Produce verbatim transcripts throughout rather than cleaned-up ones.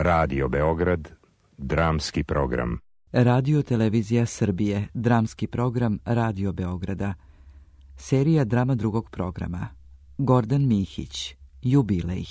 Radio Beograd, dramski program. Radio Televizija Srbije, dramski program Radio Beograda. Serija drama drugog programa. Gordan Mihić, Jubilej.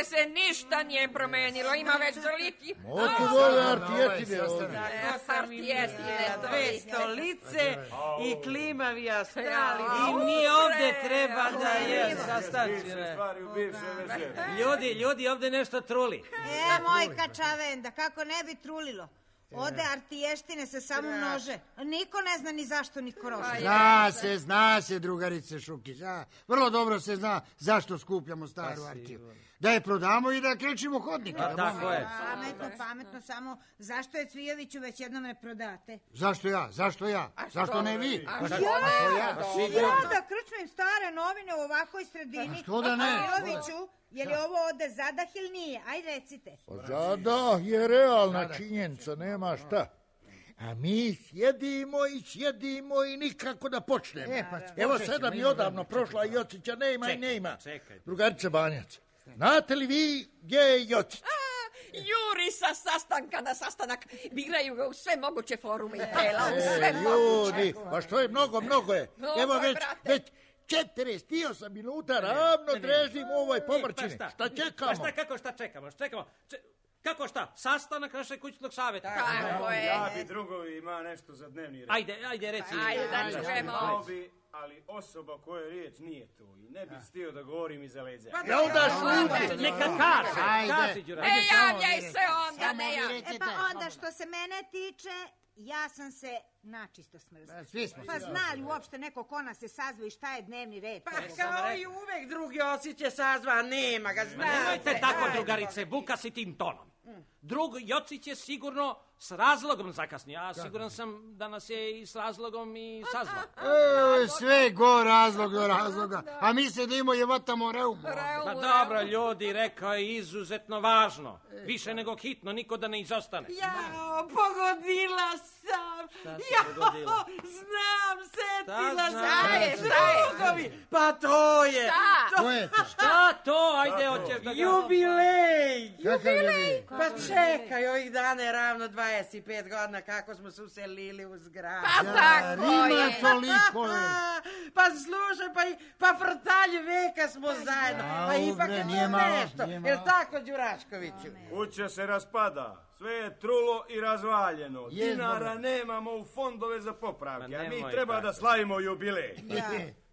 Se ništa nije promenilo, ima već toliki... Moku dole artijetine ovdje. Artijetine, dve stolice i klimavi astrali. I mi ovdje treba da je sastačine. Ljudi, ljudi, ovdje nešto truli. E, moj kačavenda, kako ne bi trulilo? Ode artiještine se samo množe. Niko ne zna ni zašto, ni kroše. Zna se, zna se, drugarice Šukić. Vrlo dobro se zna zašto skupljamo staru artiju. Da je prodamo i da krečimo hodnike. A tako je. Pametno, pametno, samo zašto je Cvijoviću već jednom ne prodate? Zašto ja? Zašto ja? Zašto ne vi? Ja, ja da krčmim stare novine u ovakvoj sredini. Što da ne? Cvijoviću, je li ovo ode zadah ili nije? Aj recite. Zadah je realna činjenica, nema šta. A mi sjedimo i sjedimo i nikako da počnemo. E, pa, evo sada mi odavno prošla Jocića, nema i nema. Drugarice Banjac, znate li vi gdje je Jocić? Juri sa sastanka na sastanak, biraju ga u sve moguće forume i tela, u sve ljudi, moguće. pa što je mnogo, mnogo je. Mnogo Evo je, već, brate. već četrdeset osam minuta ravno drežim u ovoj pomrčini. Pa šta? Šta čekamo? Pa šta, kako šta čekamo? Šta čekamo? Če... Kako šta? Sastanak našeg kućnog savjeta. Tako je. Ja bi drugovi ima nešto za dnevni red. Ajde, ajde, reci. Ajde, da čujemo. Bi, ali osoba koja riječ nije tu i ne bih stio da govorim iza leđa. Ja onda šuti. Neka kaže. Kaži, Đura. Ne javljaj se onda, ne javljaj. E pa onda što se mene tiče, ja sam se načisto smrzla. Svi smo. Pa zna li uopšte neko ko nas se sazva i šta je dnevni red? Pa Kao i uvek drugi osjeće sazva, nema ga, znate. Nemojte tako, drugarice, buka si tim tonom. Drug Jocić je sigurno s razlogom zakasnio. Ja siguran sam da nas je i s razlogom i sazvao. E, sve go razlog do razloga. A mi sedimo i vatamo reumu. Pa dobro, ljudi, rekao je izuzetno važno. Više nego hitno, niko da ne izostane. Jao, pogodila sam. Jao, znam, setila sam. Drugovi, pa to je. To je to. Šta to? Ajde, hoćeš da ga... Jubilej. Jubilej. Pa čekaj, ovih dana je ravno dvadeset pet godina kako smo se uselili u zgradu. Pa tako Ima je. toliko je. Pa slušaj, pa, i, pa frtalj veka smo zajedno. Pa ipak je nije to malo, nešto. nije malo. Jel tako, Đuraškoviću? Kuća se raspada, sve je trulo i razvaljeno. Je, Dinara dobro. nemamo u fondove za popravke, Ma a mi nemoj treba tako. da slavimo jubilej. Ja.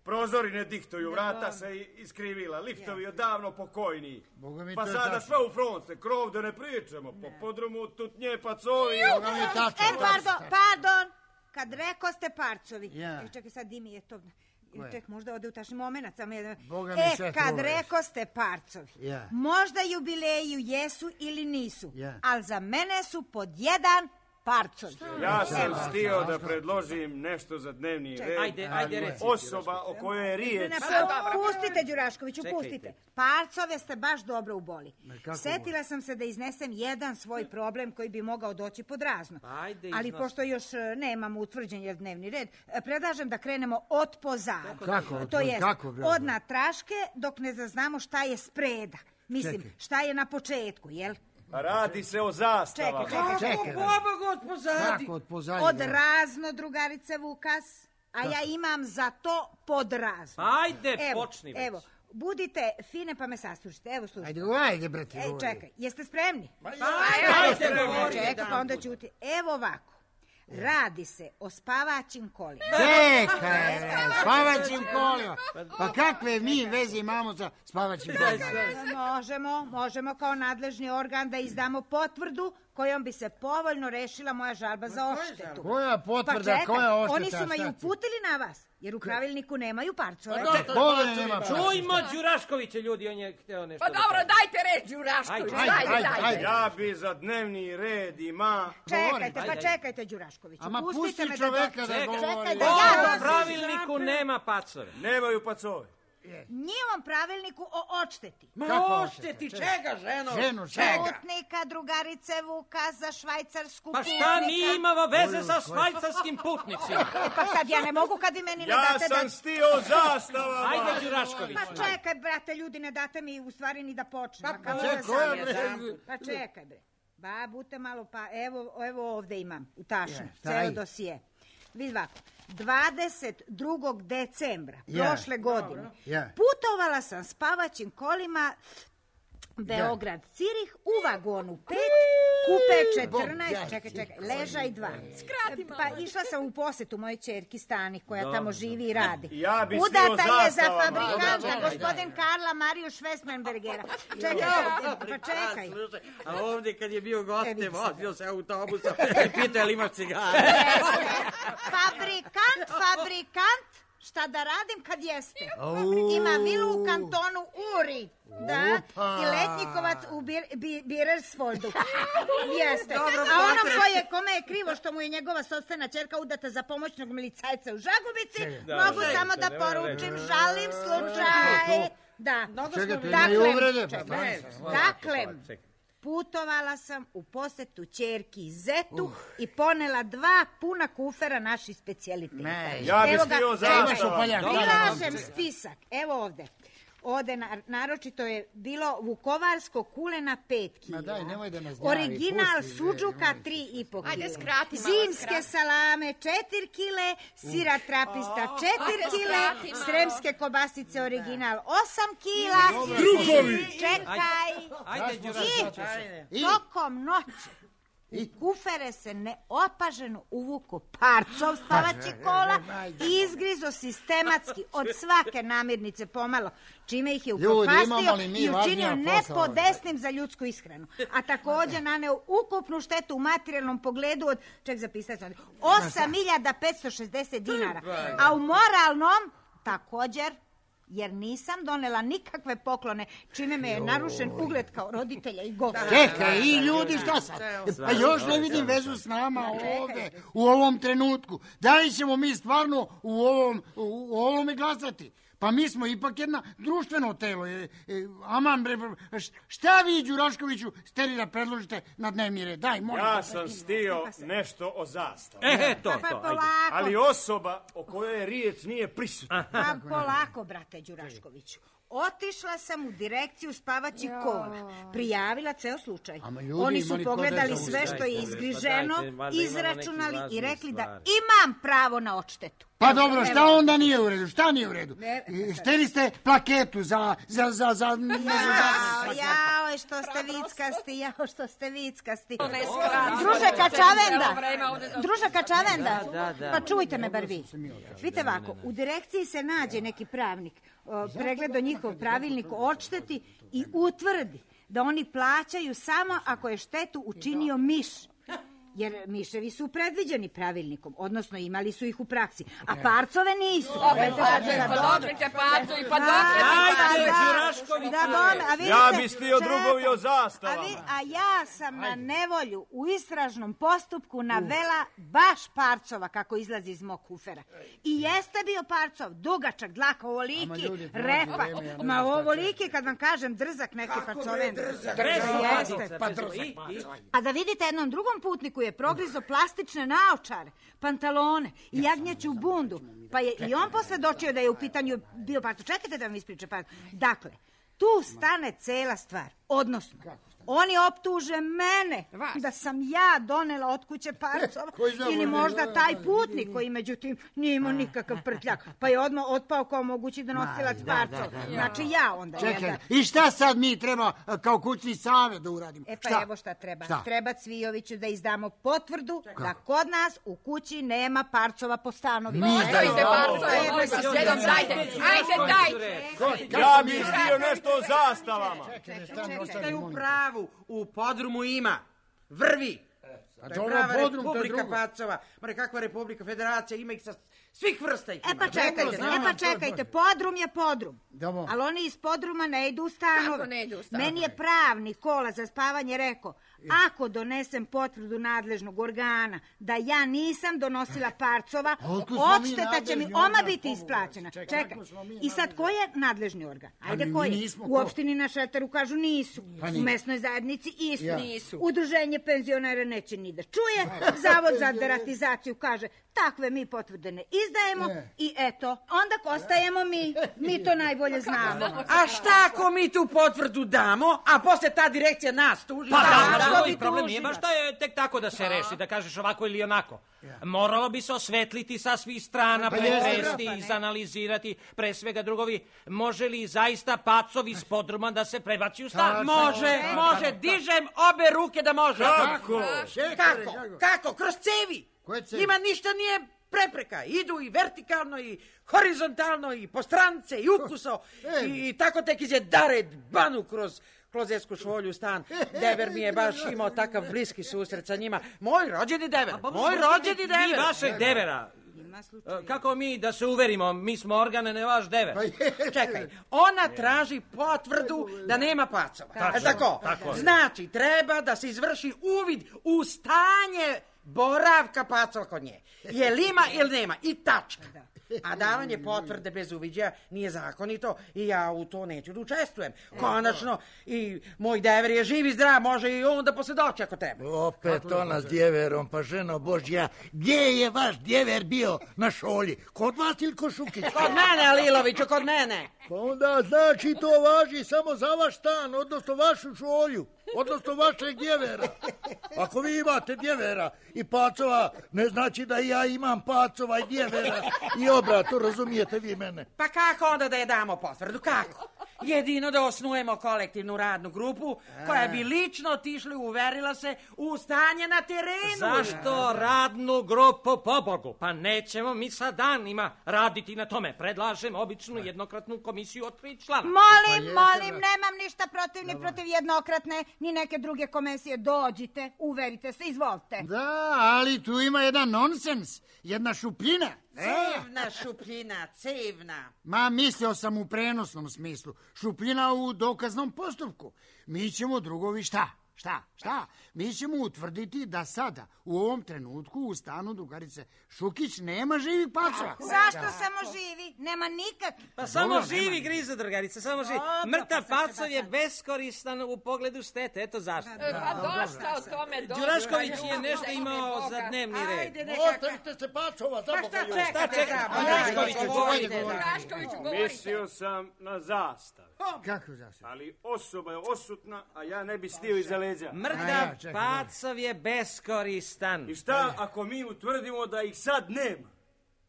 Prozori ne diktuju, vrata se iskrivila, liftovi odavno pokojni. Boga mi Pa to je sada tačno. sve u fronte, krov da ne pričamo, po podrumu tutnje pacovi. Boga mi tačno. E, pardon, pardon, kad reko ste parcovi. Ja. E, čekaj, sad di mi je to... Koje? Ček, možda ode u tašni momenat. Samo jedan... Boga mi E, sve kad truješ. reko ste parcovi, Ja. možda jubileju jesu ili nisu, Ja. ali za mene su pod jedan parcovi. Ja sam stio da predložim nešto za dnevni red. Ajde, ajde, reci. Osoba o kojoj je riječ. Ne, pustite, Đuraškoviću, Čekajte. pustite. Parcove ste baš dobro uboli. kako Setila sam se da iznesem jedan svoj problem koji bi mogao doći pod razno. Ajde, Ali iznosi. pošto još e, nemamo utvrđen jer dnevni red, e, predlažem da krenemo od pozadu. Kako? To jest, Kako, bre? od natraške dok ne zaznamo šta je spreda. Mislim, Čekaj. šta je na početku, jel? Radi se o zastavama. Čekaj, čekaj, Čekaj. Pobogu od pozadi. Kako od pozadnje? Od razno, drugarice Vukas, a ja imam za to pod razno. Ajde, Evo, počni već. evo, budite fine pa me saslušajte. Evo, slušajte. Ajde, ajde, brate. Ej, govori. čekaj, jeste spremni? Ajde, govori. Čekaj, pa onda ćuti. Evo ovako. Radi se o spavaćim kolima. Čekaj, spavaćim kolima. Pa kakve mi veze imamo sa spavaćim kolima? Možemo, možemo kao nadležni organ da izdamo potvrdu kojom bi se povoljno rešila moja žalba za odštetu. Koja potvrda, pa čekaj, koja odšteta? oni su me i uputili na vas, jer u pravilniku nemaju parcove. Čujmo Đuraškovića, ljudi, on je hteo nešto. Pa dobro, dajte reč, Đurašković, dajte, dajte. Ja bi za dnevni red ima... Čekajte, pa čekajte, Đuraškoviću. Ama pustite pusti čoveka da govori. Čekaj da ja... U pravilniku nema pacove. Nemaju pacove. Njivom pravilniku o odšteti. Ma odšteti čega, ženo? Ženu, čega? Putnika, drugarice Vuka za švajcarsku Pa putnika. šta mi imamo veze sa švajcarskim putnicima? Pa sad ja ne mogu kad vi meni ne Ja date da... sam stio zastavama. Ajde, Đurašković. Pa čekaj, brate, ljudi, ne date mi u stvari ni da počne. Pa Kako čekaj, da koja, sam ja bre? sam? Pa čekaj, bre. Ba, bute malo, pa evo, evo ovde imam, u tašnu, Je, taj. ceo dosije. Vidi ovako, dvadeset drugog decembra Je. prošle godine Je. putovala sam spavaćim kolima Beograd, Cirih u vagonu pet, kupe četrnaest, čekaj, čekaj, ležaj dva. Pa išla sam u posetu mojoj ćerki Stani, koja tamo živi i radi. Ja bi Udata stio je za zastavama. fabrikanta, gospodin Karla Mariju Švestmenbergera. Čekaj, pa čekaj. Slušaj, a ovdje kad je bio goste, vozio se autobusom i pitao je li imaš cigare. Fabrikant, fabrikant, šta da radim kad jeste? Ima vilu u kantonu Uri, da, i letnjikovac u Bir, Bi- Birersfoldu. Jeste. A onom koje, kome je krivo što mu je njegova sopstvena ćerka udata za pomoćnog milicajca u Žagubici, mogu samo da poručim, žalim slučaj. Da. Čekajte, Dakle, ne uvrede. čekaj. Dakle, putovala sam u posetu ćerki Zetu i ponela dva puna kufera naših specijaliteta. Ja bi Evo ga, stio evo, zastavama. prilažem spisak. Evo ovde. Ovde na- naročito je bilo vukovarsko kulena pet kila. Ma daj, nemoj da nas gnjavi, Original pusti, suđuka tri i po kile. Ajde, skrati malo, Zimske skrati. salame četiri kile, sira trapista četiri Ajde, kile, skrati malo. sremske kobasice original osam kila. Drugovi. Čekaj. Ajde, Đurašković. I tokom noći u kufere se neopaženo uvuko parcov spavaći kola i izgrizo sistematski od svake namirnice pomalo, čime ih je Ljudi, imamo upropastio li mi i učinio važnija posla? nepodesnim za ljudsku ishranu. A također naneo ukupnu štetu u materijalnom pogledu od, ček zapisati sam, osam hiljada petsto šezdeset dinara. A u moralnom također, jer nisam donela nikakve poklone, čime me je narušen ugled kao roditelja i gosta. Čekaj, i ljudi, šta sad? Pa još ne vidim vezu s nama ovde, u ovom trenutku. Da li ćemo mi stvarno u ovom, u ovome glasati? Pa mi smo ipak jedna društveno telo. E, e, aman, bre, bre, šta vi, Đuraškoviću, steri da predložite na dnevni red? Daj, molim. Ja sam stio nešto o zastavu. E, to, Pa to, ajde. polako, Ali osoba o kojoj je riječ nije prisutna. pa polako, brate Đuraškoviću. Otišla sam u direkciju spavaćih kola. Prijavila ceo slučaj. Ama ljudi, Oni ima su li pogledali ko da sve što je Pa izgriženo, dajte, valjda ima na izračunali neki i rekli da stvari. imam pravo na odštetu. Pa dobro, šta Evo. onda nije u redu? Šta nije u redu? Ne, E, Šteli ste plaketu za, za, za, za, ne znam, Jao, za- jao, što ste vickasti, jao, što ste vickasti. Ne skrati. Druže Kačavenda, Dobro, ima ovde dosta. druže Kačavenda, Da, da, da. pa čujte me bar vi. Vidite ovako, u direkciji se nađe neki pravnik, o, pregledo njihov pravilnik o odšteti i utvrdi da oni plaćaju samo ako je štetu učinio miš. Jer miševi su predviđeni pravilnikom, odnosno imali su ih u praksi, a parcove nisu. Opet pađe, pa dokle će pađu i pa dokle će Ajde, pađu. Đuraškoviću. Da, bome, a vidite, Ja bi stio čekaj, drugovi o A, zastavama. vi, a ja sam na nevolju u istražnom postupku navela baš parcova kako izlazi iz mog kufera. I jeste bio parcov, dugačak, dlaka, ovoliki, Ama ljudi, repa. prođe vreme, ja ne Ma znam šta ovoliki, kad vam kažem, drzak neki parcoven. Jeste. Pa drzak. I, i. A da vidite, jednom drugom putniku je progrizo plastične naočare, pantalone i jagnjeću bundu. Pa je i on posvedočio da je u pitanju bio parcov. Čekajte da vam ispričam. Pa, dakle, tu stane cela stvar. Odnosno, oni optuže mene da sam ja donela od kuće parcova ili možda taj putnik koji međutim nije imao nikakav prtljak, pa je odmah otpao kao mogući donosilac parcova. Znači ja onda. Čekaj, jel i šta sad mi treba a, kao kućni savjet da uradimo? E pa Šta? evo šta treba. Šta? Treba Cvijoviću da izdamo potvrdu da kod nas u kući nema parcova po stanovima. Mi Ostavite da- parcove, molim vas, jednom dajte. Ajde, dajte. Ja bi stio nešto o zastavama. Ste u pravu, u podrumu ima. vrvi. A To je dobro, prava podrum, to je republika drugo. pacova. Mora, kakva republika, federacija, ima ih sa svih vrsta ih E ima. pa čekajte, znam, e pa to je čekajte, bolje. podrum je podrum. Dobro. Ali oni iz podruma ne idu u stanove. Kako ne idu u stanove? Meni je pravni kola za spavanje rekao, ako donesem potvrdu nadležnog organa da ja nisam donosila parcova, otkud smo mi odšteta će mi nadležni oma organ, biti pobogu, isplaćena. čekaj, Čekaj, kako smo mi i sad ko je nadležni organ? Ajde, mi ko je? nismo, U ko? opštini na Šeteru kažu nisu. Pa U nije. mesnoj zajednici isto. Ja. Nisu. Udruženje penzionera neće ni da čuje. Zavod za deratizaciju kaže, takve mi potvrde ne izdajemo Ne. i eto, onda ostajemo mi. Mi to najbolje znamo. A šta ako mi tu potvrdu damo, a posle ta direkcija nas tuži? Pa Da, da, da, da, vi da, problem tuži. nije baš da je tek tako da se reši, da kažeš ovako ili onako. Moralo bi se osvetliti sa svih strana, Pa jeste, pretresti, izanalizirati, pre svega drugovi, može li zaista pacovi iz podruma da se prebaci u stan? Može, može, dižem obe ruke da može. Kako? Kako? Kako? Kroz cevi. Koje cevi? Njima ništa nije prepreka. Idu i vertikalno i horizontalno i po strance i ukuso i, i tako tek iđe dared banu kroz klozetsku šolju stan. Dever mi je baš imao takav bliski susret sa njima. Moj rođeni dever. Moj rođeni Vi dever. vašeg devera. E, Kako mi da se uverimo, mi smo organe, ne vaš dever. Čekaj, ona traži potvrdu da nema pacova. Tako, E tako? tako. Znači, treba da se izvrši uvid u stanje boravka pacova kod nje. Je li ima ili nema? I tačka. A davanje potvrde bez uviđaja nije zakonito i ja u to neću da učestvujem. Konačno, i moj dever je živ i zdrav, može i on da posvjedoči ako treba. Opet ona s djeverom, pa ženo Božja, gdje je vaš djever bio na šolji? Kod vas ili kod Šukić? Kod mene, Aliloviću, kod mene. Pa onda znači to važi samo za vaš stan, odnosno vašu šolju, odnosno vašeg djevera. Ako vi imate djevera i pacova, ne znači da i ja imam pacova i djevera i obrato, razumijete vi mene? Pa kako onda da je damo potvrdu? Kako? Jedino da osnujemo kolektivnu radnu grupu koja bi lično otišla i uverila se u stanje na terenu. Zašto radnu grupu, pobogu? Pa nećemo mi sa danima raditi na tome. Predlažem običnu jednokratnu komisiju od tri člana. Molim, molim, nemam ništa protiv ni protiv jednokratne, ni neke druge komisije. Dođite, uverite se, izvolite. Da, ali tu ima jedan nonsens, jedna šupljina. Cevna šupljina, cevna. Ma, mislio sam u prenosnom smislu. Šupljina u dokaznom postupku. Mi ćemo, drugovi, šta? Šta? Šta? Mi ćemo utvrditi da sada, u ovom trenutku, u stanu drugarice Šukić nema živih pacova. Zašto samo živi? Nema nikakvih. Pa samo živi, grize drugarice, samo živi. Mrtav pacov je beskoristan u pogledu štete, eto zašto. E, Pa dosta o tome, dosta. Đurašković je Ljudi, nešto za ime imao Boga. za dnevni red. Ajde, nekako. Ostavite se pacova, za Pa Boga šta ljudi. čekate? čekate? za- Đuraškoviću, Ajde, govorite. govorite. Đuraškoviću, govorite. Mislio sam na zastav, Kako zašto? ali osoba je osutna, a ja ne bi stio iza leđa. A Mrtav ja, čekaj, pacov je beskoristan. I šta ako mi utvrdimo da ih sad nema?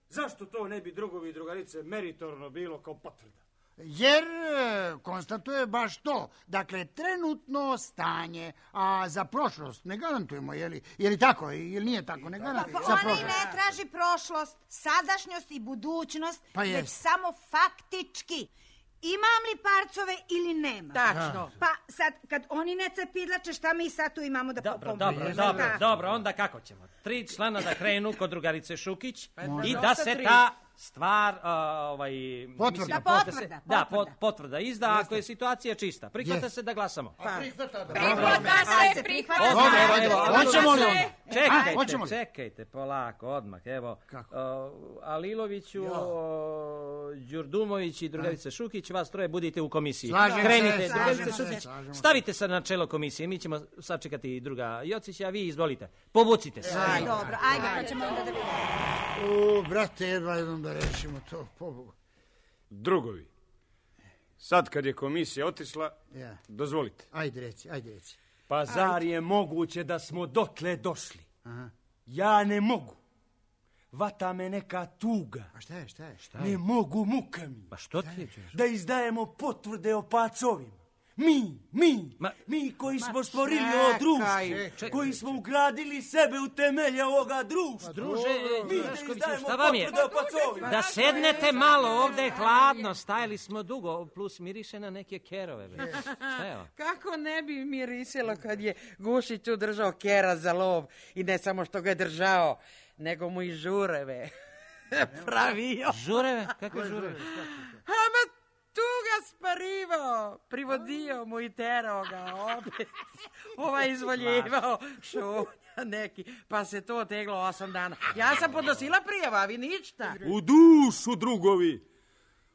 Zašto to ne bi drugovi i drugarice meritorno bilo kao potvrda? Jer e, konstatuje baš to. Dakle, trenutno stanje, a za prošlost ne garantujemo, je li, je li tako, ili nije tako, ne garantujemo Pa za ona i prošlost. ne traži prošlost, sadašnjost i budućnost, Pa već jest. samo faktički. Imam li parcove ili nema? Tačno. Pa sad, kad oni ne cepidlače, šta mi sad tu imamo da Dobro, pomognemo? dobro, Znaš dobro, kako? dobro, onda kako ćemo? Tri člana da krenu kod drugarice Šukić i da Dosta se tri. ta stvar, a, ovaj... Potvrda. mislim, Da, da se- potvrda, Da, potvrda. pot- potvrda izda, ako je situacija čista. Prihvata Jest. se da glasamo. A prihvata da. Prihvata Ajde, se, prihvata prihvata Dobro, se. ajde, Prihvata hoćemo li se. onda? Čekajte, hoćemo li? čekajte, polako, odmah, evo. Kako? o, Aliloviću, o, Đurdumović i drugarica Šukić, vas troje budite u komisiji. Slažem se, Krenite, slažem drugarice se, Šukić, slažemo se. stavite se na čelo komisije, mi ćemo sačekati druga Jocića, a vi izvolite. Povucite se. Aj, dobro, ajde, pa ćemo onda da vidimo. U, brate, jedva jednom da rešimo to, pobogu. Drugovi, sad kad je komisija otišla, Ja. dozvolite. Ajde reci, ajde reci. Pa zar je moguće da smo dotle došli? Aha. Ja ne mogu. Vata me neka tuga. A šta je, šta je, šta Ne mogu, muka mi. Pa što ti je? Da izdajemo potvrde o pacovima. Mi, mi, Ma- mi koji smo Ma stvorili čekaj, ovo društvo, čekaj. koji smo ugradili sebe u temelje ovoga društva. Druže, mi Đuraškoviću, te izdajemo šta vam je? potvrde o pacovima. Da sednete malo, ovdje je hladno, stajali smo dugo, plus miriše na neke kerove. bre. Šta je ovo? Kako ne bi mirisilo kad je Gušić tu držao kera za lov i ne samo što ga je držao, nego mu i žureve pravio. Žureve? Kakve žureve? Ama tu ga sparivao, privodio mu i terao ga opet. Ovaj izvoljivao šunja neki, pa se to teglo osam dana. Ja sam podnosila prijava, a vi ništa. U dušu, drugovi.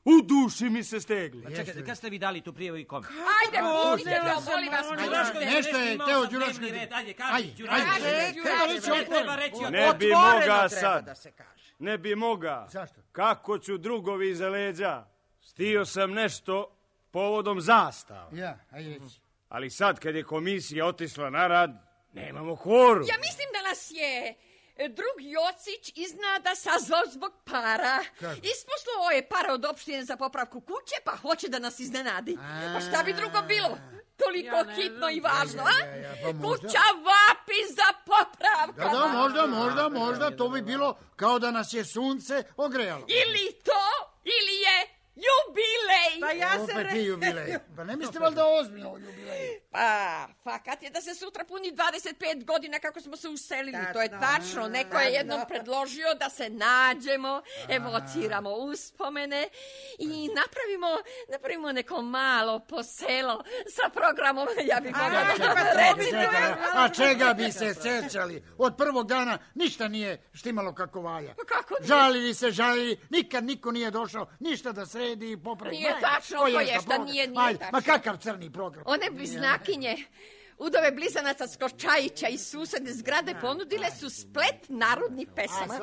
U duši mi se stegli. A čekajte, kad ste vi dali tu prijavu i kome? Ajde, pustite to, molim vas. Đurašković, nešto je, imao Teo sam Đurašković. dnevni red. Ajde, kaži, Ajde, Đurašković. ajde, treba reći otvoreno. Treba reći otvoreno. Ne bi Otvoreno moga treba sad. da se kaže. Ne bi moga. Zašto? Kako ću drugovi iza leđa? Stio sam nešto povodom zastava. Ja, ajde reći. Ali sad kad je komisija otišla na rad, nemamo kvorum. Ja mislim da nas je e, drug Jocić iznada sazvao zbog para. Isposlao je para od opštine za popravku kuće, pa hoće da nas iznenadi. Pa šta bi drugo bilo? Toliko Ja ne hitno i znam. važno, a? Ja, ja, ja, pa možda. Kuća vapi za popravkama. Da, da, možda, možda, možda, to bi bilo kao da nas je sunce ogrejalo. Ili to, ili je jubilej. Pa ja se Opet re... i jubilej. Pa ne mislite valjda ozbiljno o jubileju? Pa, fakat je da se sutra puni dvadeset pet godina kako smo se uselili. Tačno. To je tačno. Neko je jednom predložio da se nađemo, evociramo uspomene i napravimo, napravimo neko malo poselo sa programom. Ja bih mogla da Čekaj, reći. čekaj, a čega bi se sećali? Od prvog dana ništa nije štimalo kako valja. Pa kako nije? Žalili se, žalili, nikad niko nije došao ništa da sredi i popravi. Nije Ma, tačno, ko je ko je, za šta program? nije, nije Ajde, tačno. Ma kakav crni program? One bliznakinje, udove blizanaca Skočajića i susedne zgrade ponudile su splet narodnih pesama.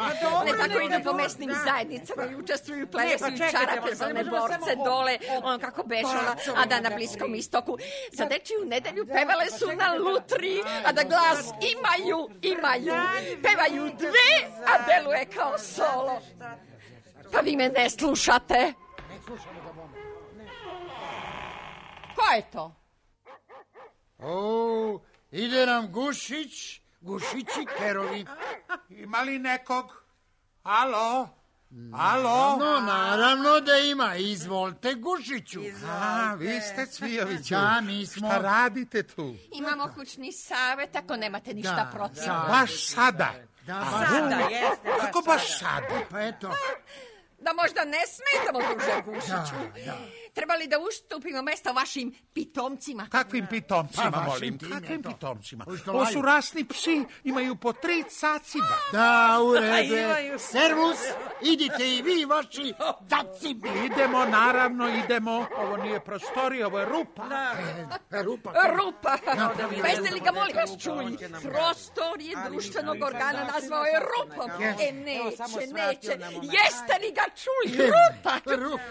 Ne tako idu po mesnim zajednicama i učestvuju u plesu pa i čekajte, čarape za pa ne one možemo borce samo o- dole, on kako bešala, a da na Bliskom istoku. Za dečiju nedelju pevale su na lutri, a da glas imaju, imaju. Pevaju dve, a deluje kao solo. Pa vi me ne slušate. Ko je to? O, ide nam Gušić, Gušići kerovi. Ima li nekog? Alo? Alo? No, naravno da ima. Izvolite, Gušiću. A, vi ste Cvijoviću. Da, mi smo. Šta radite tu? Imamo kućni savjet, ako nemate ništa Da, protiv. da. Baš sada. Da, baš. Sada jeste. Kako baš sada? Pa eto. Da možda ne smetamo, druže Gušiću. Trebali da ustupimo mesta vašim pitomcima. Kakvim pitomcima, Pa, vašim molim? tim je Kakvim to. pitomcima? Ovi što Ovo laju. su rasni psi, imaju po tri caciba. Da, u redu je. Imaju. Servus, idite i vi, vaši cacibi. Idemo, naravno, idemo. Ovo nije prostorija, ovo je rupa. Rupa. Rupa. Pa jeste li ga, molim vas, čuli? Prostor je društvenog organa nazvao je rupom. E, neće, neće. Jeste li ga čuli? Rupa. Rupa.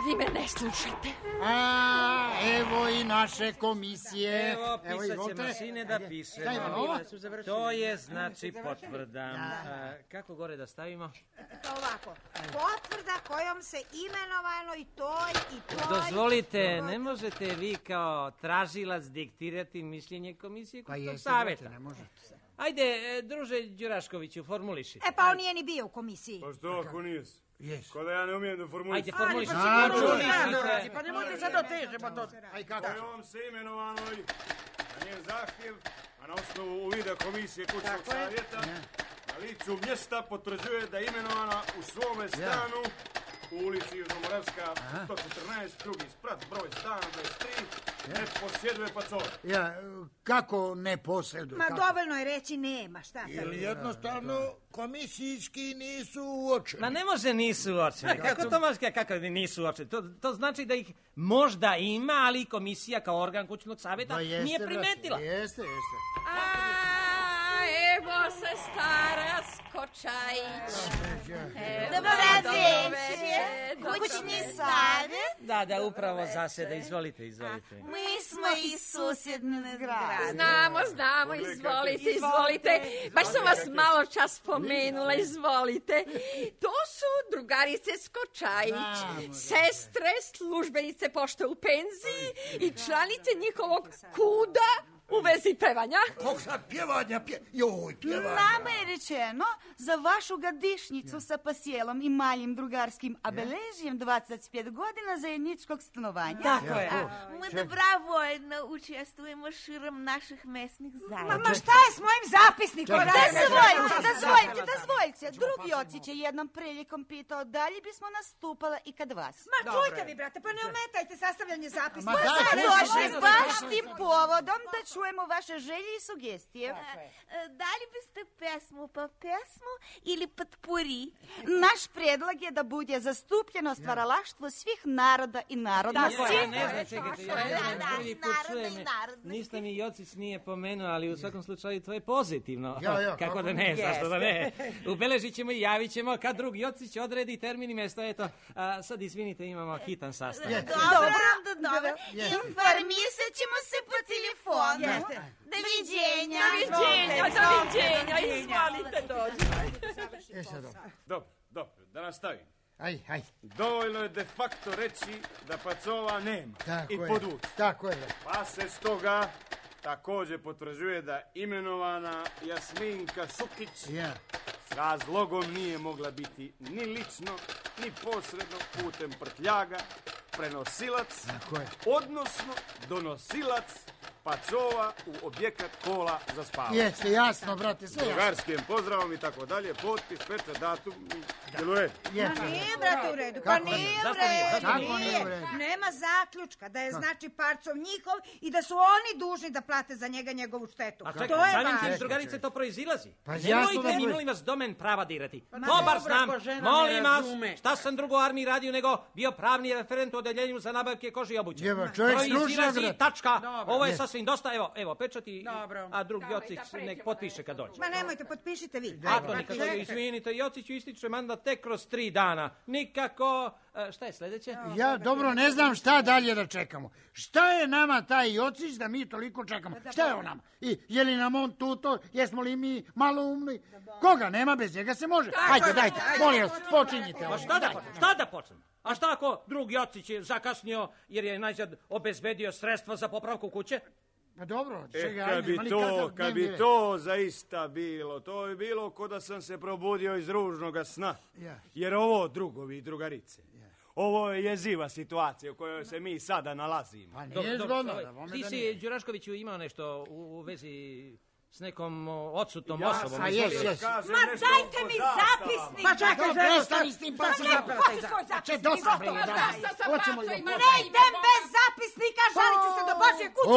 Vi me ne slušate. A, evo i naše komisije. Evo, pisat izvolite. ćemo, sine, da pišemo. Šta ima ovo? To je, znači, potvrda. A, kako gore da stavimo? Ovako, potvrda kojom se imenovano i toj i toj... Dozvolite, ne možete vi kao tražilac diktirati mišljenje komisije Pa kućnog jeste, savjeta. brate, ne može. Ajde, e, druže Đuraškoviću, formuliši. E pa on nije ni bio u komisiji. Pa što ako nisi? Jes. Ko da ja ne umijem da formulišem. Ajde, formuliši. Pa Znači, formulišite. Pa nemojte sad otežemo to. Aj kako? Kojom se imenovanoj na njen zahtjev, a na osnovu uvida komisije kućnog savjeta, na licu mjesta potvrđuje da je imenovana u svome stanu u ulici Južnomoravska sto četrnaest, drugi sprat, broj stana dvadeset tri, ne posjeduje pacove. Ja, kako ne posjeduje? Ma kako? dovoljno je reći nema, šta sad? Ili jednostavno komisijski nisu uočeni. Ma ne može nisu uočeni. Kako to može kako nisu uočeni? To, to znači da ih možda ima, ali komisija kao organ kućnog savjeta Da, jeste, nije brate, primetila. Jeste, jeste. A, Evo se stara Skočajić. Dobar večer. Kućni savjet? Da, da, upravo zaseda. Izvolite, izvolite. Mi smo iz susjedne zgrade. Znamo, znamo, izvolite, izvolite. Baš sam vas malo čas spomenula, izvolite. To su drugarice Skočajić, sestre, službenice pošte u penziji i članice njihovog kuda u vezi pevanja. Kog sad pjevanja, pje... joj, pjevanja. Nama je rečeno za vašu godišnjicu sa pasjelom i malim drugarskim obeležjem dvadeset pet godina zajedničkog stanovanja. Tako je. Mi dobrovoljno učestvujemo širom naših mesnih zajednica. Ma šta je s mojim zapisnikom? Dozvoljte, dozvoljte, dozvoljte. Drugi oci će jednom prilikom pitao da li bismo nastupala i kad vas. Ma čujte vi, brate, pa ne ometajte sastavljanje zapisnika. Ma sad došli baš tim povodom da čujemo vaše želje i sugestije. Da li biste pesmu po pesmu ili potpuri? Naš predlog je da bude zastupljeno stvaralaštvo svih naroda i narodnosti. Tako je, ne znam, čekajte, ja ne znam, prvi put čujem, ništa mi Jocić nije pomenuo, ali u svakom slučaju to je pozitivno. Kako da ne, zašto da ne. Ubeležit ćemo i javit ćemo kad drug Jocić odredi termin i mjesto. Eto, sad izvinite, imamo hitan sastav. Dobro, dobro. Informisat ćemo se po telefonu. Doviđenja. Doviđenja, doviđenja, izvolite dođi. Dobro, dobro, da nastavim. Aj, aj. Dovoljno je de facto reći da pacova nema i podvući. Tako je. Pa se stoga također potvrđuje da imenovana Jasminka Šukić s razlogom nije mogla biti ni lično, ni posredno putem prtljaga prenosilac, odnosno donosilac pacova u objekat kola za spavanje. Jeste, jasno, brate, sve. Drugarskim pozdravom i tako dalje, potpis, pečat, datum i djeluje. Ma nije, brate, u redu. Pa nije u redu. Kako nije u redu? Nema zaključka da je znači parcov njihov i da su oni dužni da plate za njega njegovu štetu. A čekaj, samim tim drugarice to proizilazi. Nemojte mi, molim vas, domen prava dirati. Dobar znam, molim vas, šta sam drugo armiji radio nego bio pravni referent u odeljenju za nabavke kože i obuće. Proizilazi, tačka, ovo je sasvim dosta, evo, evo, pečati, a drug Jocić nek potpiše kad dođe. Ma nemojte, potpišite vi. A to nikako, izvinite, Jociću ističe mandat tek kroz tri dana. Nikako, šta je sljedeće? Ja dobro ne znam šta dalje da čekamo. Šta je nama taj Jocić da mi toliko čekamo? Šta je on nama? I je li nam on tutor? Jesmo li mi malo umni? Koga nema, bez njega se može. Hajde, dajte, molim vas, počinjite. Pa šta da, šta da počnem? A šta ako drug Jocić je zakasnio jer je najzad obezbedio sredstva za popravku kuće? Pa dobro, čega, e, kad bi to, kad bi to zaista bilo, to bi bilo ko da sam se probudio iz ružnoga sna. Jer ovo, drugovi i drugarice, ovo je jeziva situacija u kojoj se mi sada nalazimo. Pa nije zgodno. Ti si, Đuraškoviću, imao nešto u vezi s nekom odsutnom ja, osobom. Ja, jes, jes. Ma dajte mi zapisnik! Ma čekaj, prestani s tim, pa se zapisnik. Če, dosta bre, hoćemo li ga... Ne idem bez zapisnika, žalit ću se do Božje kuće.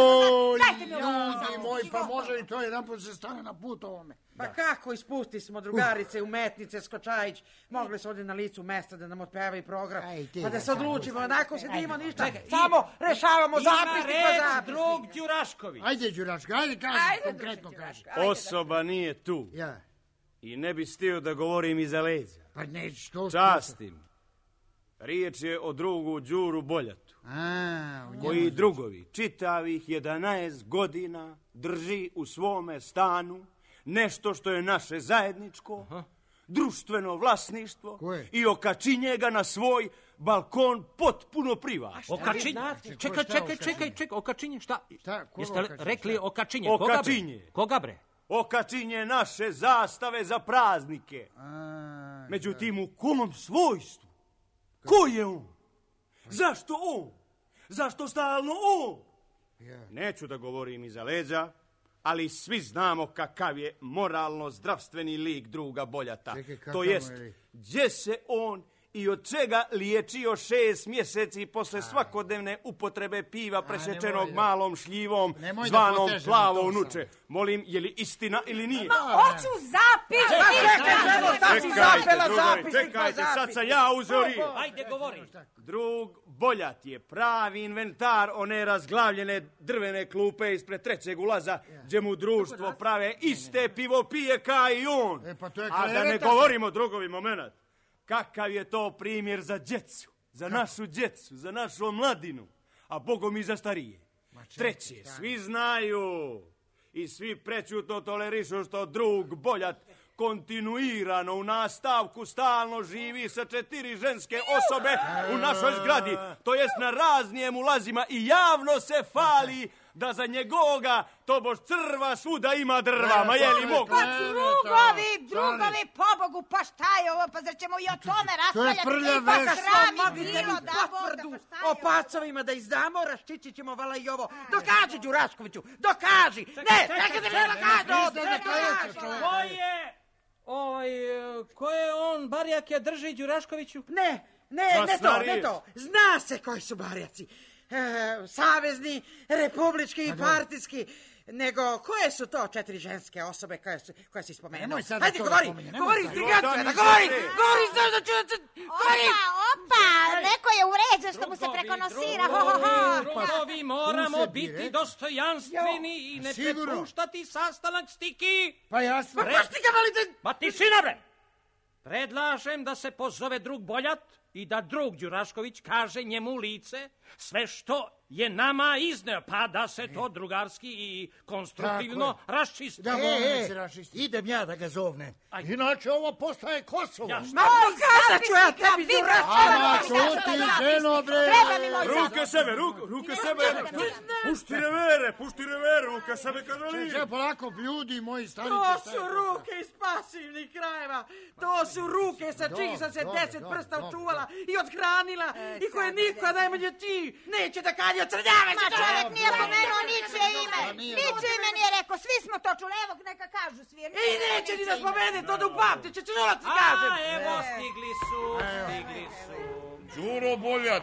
Dajte mi ovo. Ljudi moji, pa može li to jedan put se stane na put ovome? Pa kako ispusti smo drugarice, umetnice, Skočajić, mogli su ovdje na licu mesta da nam otpevaju program, pa da se odlučimo, onako se dimo ništa, samo rešavamo zapisnik po zapisnik. Drug Đurašković. Ajde, Đuraško, ajde kaži, konkretno kaži. Osoba nije tu. Ja. I ne bi stio da govorim iza leđa. Pa ne, što... Častim. Riječ je o drugu Đuru Boljatu. A, koji drugovi čitavih jedanaest godina drži u svome stanu nešto što je naše zajedničko, aha, društveno vlasništvo i okačinje ga na svoj balkon potpuno privatno. Okačinje? Čekaj, čekaj, čekaj, čekaj, okačinje, šta? Jeste rekli okačinje? Okačinje. Koga bre? Okačinje naše zastave za praznike. Međutim, u kom svojstvu? Ko je on? Zašto on? Zašto stalno on? Neću da govorim iza leđa, ali svi znamo kakav je moralno-zdravstveni lik druga Boljata. Čekaj, to jest, gdje se on i od čega liječio šest mjeseci posle svakodnevne upotrebe piva presječenog malom šljivom zvanom plavo nuče. Molim, je li istina ili nije? Ma, hoću zapis! Čekajte, čekajte, čekajte, sad sam ja uzeo riječ. Ajde, govori. Drug Boljat je pravi inventar one razglavljene drvene klupe ispred trećeg ulaza, gdje mu društvo prave iste pivo pije ka i on. E, pa to je A da ne govorimo, drugovi, moment, kakav je to primjer za djecu, za našu djecu, za našu mladinu, a bogom i za starije. Treće, svi znaju i svi prećutno tolerišu što drug Boljat kontinuirano u nastavku stalno živi sa četiri ženske osobe u našoj zgradi, to jest na raznijem ulazima, i javno se fali da za njegovoga tobož crva svuda ima drva, ma je li mogu? Pa drugovi, drugovi, pobogu, pa šta je ovo, pa zar ćemo i o tome raspravljati? To je prlja Ipak veš. srami bilo da potvrdu voda, pa šta o je ovo? pacovima da izdamo, raščići ćemo vala i ovo. Dokaži, Đuraškoviću, dokaži! Ne, čekaj da ne dokaži! Ko je? Ovaj, ko je on, barjak je drži Đuraškoviću? Ne, ne, ne to, ne to. Zna se koji su barjaci. E, savezni, republički i partijski. Nego, koje su to četiri ženske osobe koje, su, koje si spomenuo? Nemoj sad Hajde, to govori, spominje, govori, nemoj sad. intrigancija, da govori, govori, znaš da ću... Govori! Opa, opa, neko je uređen što mu se prekonosira, ho, ho, ho. Drugovi, moramo biti dostojanstveni i ne prepuštati sastanak stiki. Pa jasno. Pa što ga valite? Pa tišina, bre! Predlažem da se pozove drug Boljat i da drug Đurašković kaže njemu u lice sve što je nama izneo, pa da se to drugarski i konstruktivno raščisti. Da, E, e, se raščisti. idem ja da ga zovnem. Inače ovo postaje Kosovo. Ja, Ma pokazat ću ja tebi, Ama, Đurašković! čuti, ženo, bre. Treba mi moj Ruke sebe, ruke, ruke sebe. Pušti revere, pušti revere, ruke sebe kada li. Če, polako, ljudi moji, stari. To su ruke iz pasivnih krajeva. To su ruke sa čih sam se dobro, deset dobro, prsta dobro, očuvala i odhranila i koje niko, najmanje ti, neće da kalje od crnjave. Ma čovjek nije pomenuo ničije ime. Ničije ime nije rekao, svi smo to čuli, evo neka kažu svi. I neće ni da spomene, to da upamti, će čula ti kažem. A, evo, stigli su, stigli su. Đuro Boljat,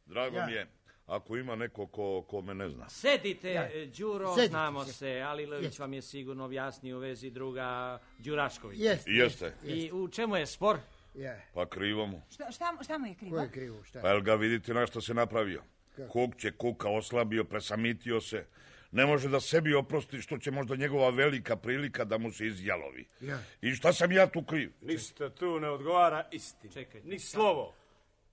drago mi je, ako ima neko ko, ko me ne zna. Sedite, Đuro, Sedite, znamo sedite. se, ali Lević vam je sigurno objasnio u vezi druga Đuraškovića. Jeste. Jeste, I u čemu je spor? Je. pa krivo mu. Šta, šta, šta mu je krivo? Ko je krivo, šta? Pa jel ga vidite na što se napravio? Kuk će kuka, oslabio, presamitio se. Ne može da sebi oprosti što će možda njegova velika prilika da mu se izjalovi. Ja. I šta sam ja tu kriv? Ništa tu ne odgovara istini. Čekaj. Ni slovo.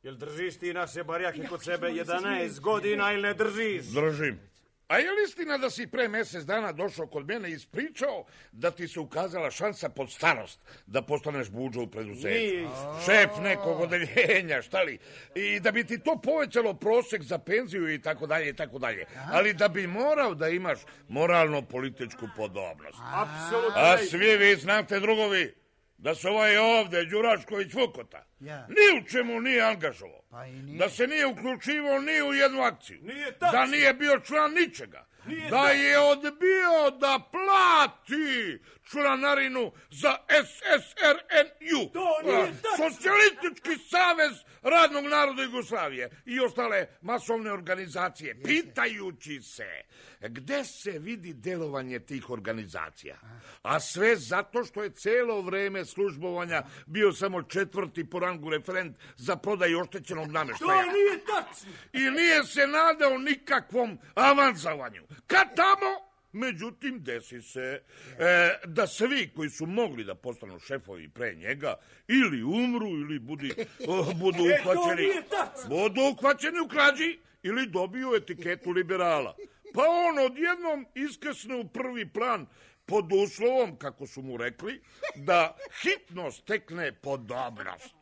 Jel držiš ti naše barjake kod sebe jedanaest godina ili ne držiš? Držim. A je li istina da si pre mjesec dana došao kod mene i ispričao da ti se ukazala šansa pod starost da postaneš buđo u preduzeću? Nije. Šef nekog odeljenja, šta li? I da bi ti to povećalo prosjek za penziju i tako dalje i tako dalje. Ali da bi morao da imaš moralno-političku podobnost. Apsolutno. A svi vi znate, drugovi, da se ovaj ovde, Đurašković Vukota, Ja. ni u čemu nije angažovao. Pa i nije. Da se nije uključivao ni u jednu akciju. Nije tačno. Da nije bio član ničega. Nije da je odbio da plati članarinu za S S R N U. To nije tačno. Socijalistički savez radnog naroda Jugoslavije i ostale masovne organizacije. Pitajući se gde se vidi delovanje tih organizacija. A sve zato što je celo vreme službovanja bio samo četvrti po rangu referent za prodaju oštećenog nameštaja. To nije tačno. I nije se nadao nikakvom avansavanju. Kad tamo, međutim, desi se e, da svi koji su mogli da postanu šefovi pre njega ili umru ili budi, o, budu E, to uhvaćeni, nije tačno. budu uhvaćeni u krađi ili dobiju etiketu liberala. Pa on odjednom iskesne u prvi plan pod uslovom, kako su mu rekli, da hitno stekne podobnost.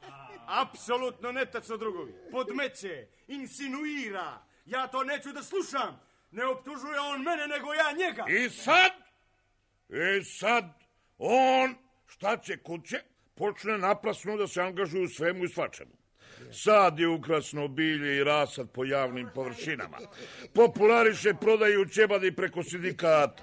Apsolutno netačno, drugovi. Podmeće, insinuira. Ja to neću da slušam. Ne optužuje on mene, nego ja njega. I sad, i sad, on, šta će kuće, počne naprasno da se angažuje u svemu i svačemu. Sad je ukrasno bilje i rasad po javnim površinama. Populariše prodaju ćebadi preko sindikata.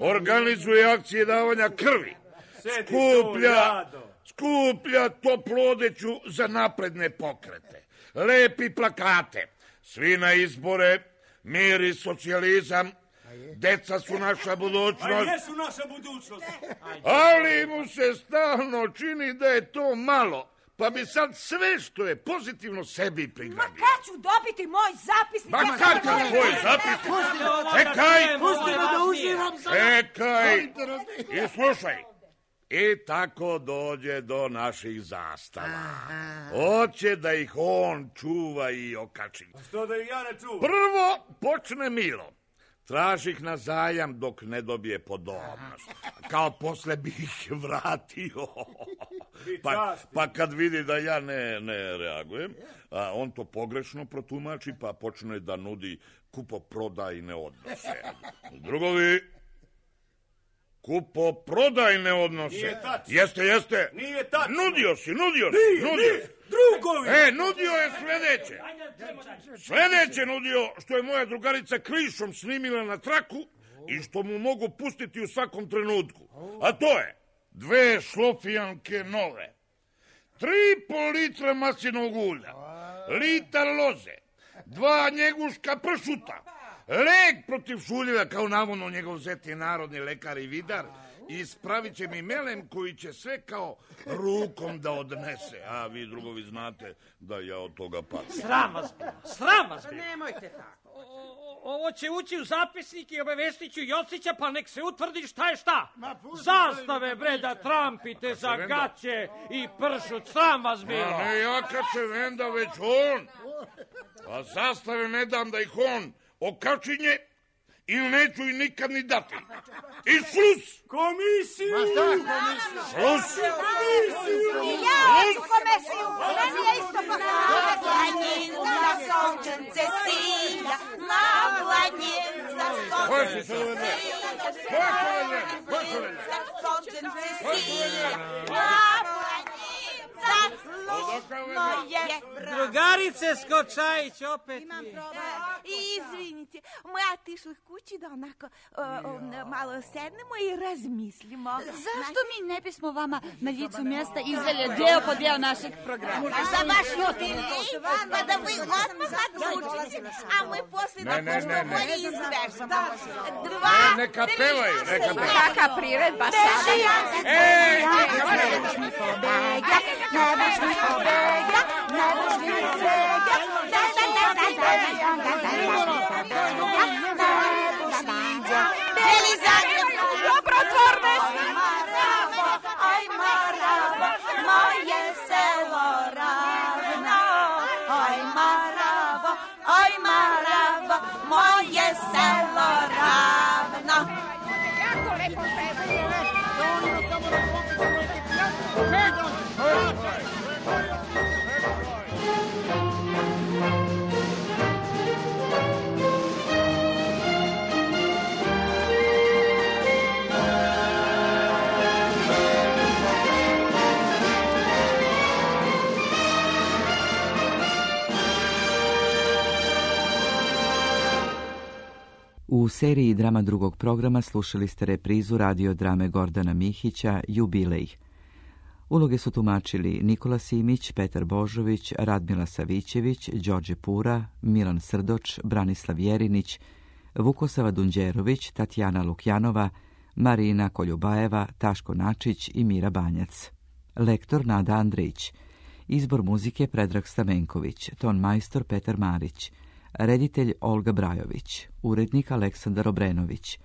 Organizuje akcije davanja krvi. Skuplja, skuplja toplu odeću za napredne pokrete. Lepi plakate. Svi na izbore, mir i socijalizam. Deca su naša budućnost. A jesu naša budućnost. Ali mu se stalno čini da je to malo. pa bi sad sve što je pozitivno sebi prigradio. Ma kad ću dobiti moj zapisnik? Ma ja kad ću tvoj zapisnik? Čekaj! Pustimo da uživam sad! Čekaj! I slušaj. I tako dođe do naših zastava. Hoće da ih on čuva i okači. Što da ih ja ne čuvam? Prvo počne Milo. Traži ih na zajam dok ne dobije podobnost. Kao posle bi ih vratio. Pa, pa kad vidi da ja ne, ne reagujem, a on to pogrešno protumači, pa počne da nudi kupoprodajne odnose. Drugovi, kupoprodajne odnose. Nije tačno. Jeste, jeste. Nije tačno. Nudio si, nudio si. Nije, nudio. nije. Drugovi. E, nudio je sledeće. Sledeće nudio što je moja drugarica klišom snimila na traku i što mu mogu pustiti u svakom trenutku. A to je dve šlofijanke nove, tri po litra maslinovog ulja, litar loze, dva njeguška pršuta, lek protiv šuljeva kao navodno njegov zeti narodni lekar i vidar, i ispravit će mi melem koji će sve kao rukom da odnese. A vi drugovi znate da ja od toga patim. Sram vas bilo, sram vas bilo. Nemojte tako. Ovo će ući u zapisnik i obavestit ću Josića, pa nek se utvrdi šta je šta. Zastave, bre, da trampite za gaće i pršut, sram vas bilo. A ne ja kad se venda, već on. A zastave ne dam da ih on okačinje ili neću i nikad ni dati. I slus! Komisiju! Ma šta komisiju? Slus! I ja hoću komisiju! Meni je isto Na planinca solčence silja, na planinca solčence silja, na planinca solčence silja, na planinca luzno je. Drugarice Skočajić, opet Imam problem. Izvinite, my otišli kući da onako malo sednemo i razmislimo. Zašto mi ne bismo vama na licu mjesta izveli deo po deo našeg programa? A za vaš jubilej, pa da vi odmah odlučite, a my posle da pošto bolje izvežemo. Dva, Neka pevaju, neka pevaju. Kaka priredba sada. Ej! Ne buš mi pobega, ne buš mi pobega, ne buš mi pobega, da da da da da da da da dobrotvornost. Oj Maravo, moje selo ravno. Oj Maravo, oj Maravo, moje selo ravno. Jako lepo pevaju. U seriji drama drugog programa slušali ste reprizu radiodrame Gordana Mihića Jubilej. Uloge su tumačili Nikola Simić, Petar Božović, Radmila Savićević, Đorđe Pura, Milan Srdoč, Branislav Jerinić, Vukosava Dunđerović, Tatjana Lukjanova, Marina Koljubajeva, Taško Načić i Mira Banjac. Lektor Nada Andrić. Izbor muzike Predrag Stamenković, ton majstor Petar Marić, reditelj Olga Brajović, urednik Aleksandar Obrenović,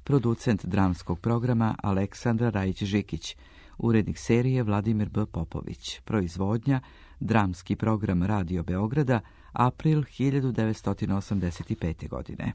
producent dramskog programa Aleksandra Rajić-Žikić, urednik serije Vladimir B. Popović, proizvodnja dramski program Radio Beograda, april hiljadu devetsto osamdeset pete. godine.